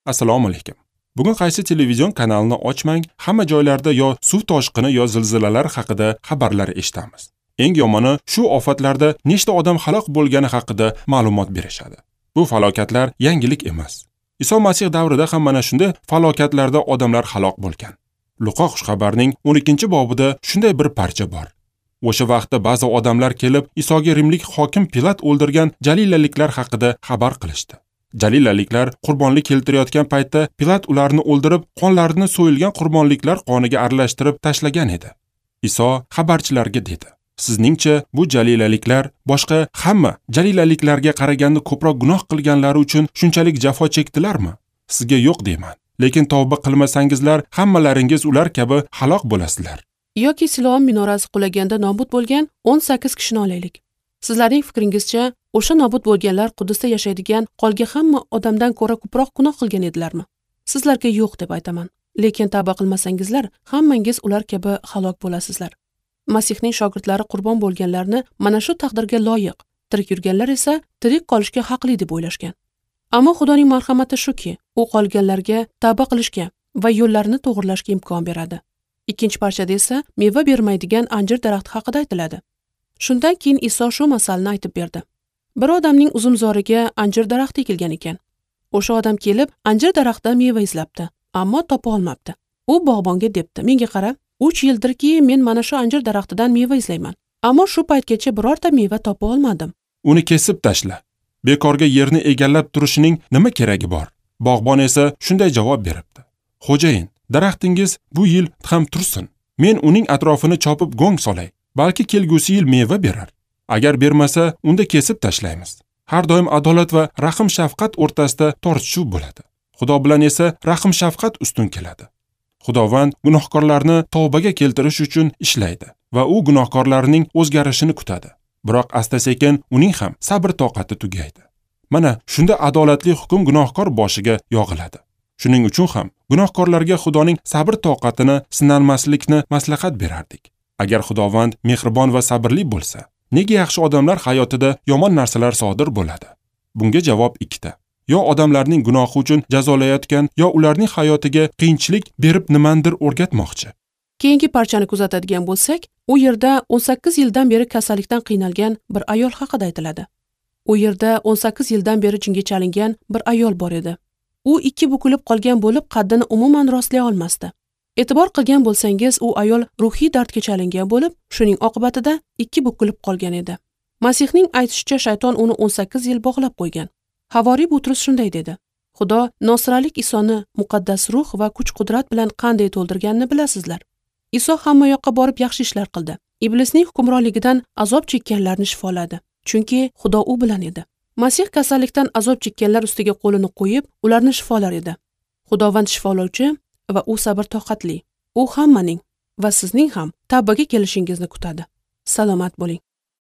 Assalomu alaykum. Bugun qaysi televizion kanalini ochmang, hamma joylarda yo suv toshqini yo zilzilalar haqida xabarlar eshitamiz. Eng yomoni, shu ofatlarda nechta odam halok bo'lgani haqida ma'lumot berishadi. Bu falokatlar yangilik emas. Iso Masih davrida ham mana shunday falokatlarda odamlar halok bo'lgan. Luqo xushxabarning 12-bobida shunday bir parcha bor. O'sha vaqtda ba'zi odamlar kelib Isoga rimlik hokim Pilat o'ldirgan jalilaliklar haqida xabar qilishdi. Jalilaliklar qurbonlik keltirayotgan paytda Pilat ularni o'ldirib, qonlarini so'yilgan qurbonliklar qoniga aralashtirib tashlagan edi. Iso xabarchilarga dedi: "Sizningcha bu jalilaliklar boshqa hamma jalilaliklarga qaraganda ko'proq gunoh qilganlari uchun shunchalik jafo chekdilarmi? Sizga yo'q deyman. Lekin tavba qilmasangizlar, hammalaringiz ular kabi halok bo'lasizlar." Yoki Siloam minorasi qulaganda nobud bo'lgan 18 kishini olaylik. Sizlarning fikringizcha, o'sha nobud bo'lganlar Quddusda yashaydigan qolgan hamma odamdan ko'ra ko'proq gunoh qilgan edilarmi? Sizlarga yo'q deb aytaman. Lekin tavba qilmasangizlar, hammangiz ular kabi halok bo'lasizlar. Masihning shogirdlari qurbon bo'lganlarni mana shu taqdirga loyiq, tirik yurganlar esa tirik qolishga haqli deb o'ylashgan. Ammo Xudoning marhamati shuki, u qolganlarga tavba qilishga va yo'llarini to'g'rilashga imkon beradi. Ikkinchi parchada esa meva bermaydigan anjir daraxti haqida aytiladi. Shundan keyin Iso shu masalni aytib berdi. Bir odamning uzumzoriga anjir daraxti ekilgan ekan. O'sha odam kelib anjir daraxtidan meva izlabdi, ammo topa olmabdi. U bog'bonga debdi: "Menga qara, 3 yildirki men mana shu anjir daraxtidan meva izlayman, ammo shu paytgacha birorta meva topa olmadim." "Uni kesib tashla. Bekorga yerni egallab turishining nima keragi bor?" Bog'bon esa shunday javob beribdi: "Xo'jayin, daraxtingiz bu yil ham tursin. Men uning atrofini chopib go'ng solay. Balki kelgusi yil meva berar. Agar bermasa, unda kesib tashlaymiz." Har doim adolat va rahm-shafqat o'rtasida tortishuv bo'ladi. Xudo bilan esa rahm-shafqat ustun keladi. Xudovand gunohkorlarni tavbaga keltirish uchun ishlaydi va u gunohkorlarning o'zgarishini kutadi. Biroq asta-sekin uning ham sabr-toqati tugaydi. Mana shunda adolatli hukm gunohkor boshiga yog'iladi. Shuning uchun ham gunohkorlarga Xudoning sabr-toqatini sinalmaslikni maslahat berardik. Agar Xudovand mehribon va sabrli bo'lsa, nega yaxshi odamlar hayotida yomon narsalar sodir bo'ladi? Bunga javob ikkita. Yo odamlarning gunohi uchun jazolayotgan, yo ularning hayotiga qiyinchilik berib nimandir o'rgatmoqchi. Keyingi parchani kuzatadigan bo'lsak, u yerda 18 yildan beri kasallikdan qiynalgan bir ayol haqida aytiladi. U yerda 18 yildan beri jinga chalingan bir ayol bor edi. U ikki bukilib qolgan bo'lib, qaddini umuman rostlay olmasdi. E'tibor qilgan bo'lsangiz, u ayol ruhiy dardga chalingan bo'lib, shuning oqibatida ikki bukilib qolgan edi. Masihning aytishicha, shayton uni 18 yil bog'lab qo'ygan. Havoriy Butrus shunday dedi: "Xudo Nosralik Isoni muqaddas ruh va kuch-qudrat bilan qanday to'ldirganini bilasizlar. Iso hamma yoqqa borib yaxshi ishlar qildi. Iblisning hukmronligidan azob chekkanlarni shifoladi, chunki Xudo u bilan edi. Masih kasallikdan azob chekkanlar ustiga qo'lini qo'yib, ularni shifolar edi. Xudovand shifolovchi va u sabr-toqatli. U hammaning va sizning ham tavbaga kelishingizni kutadi. Salomat bo'ling."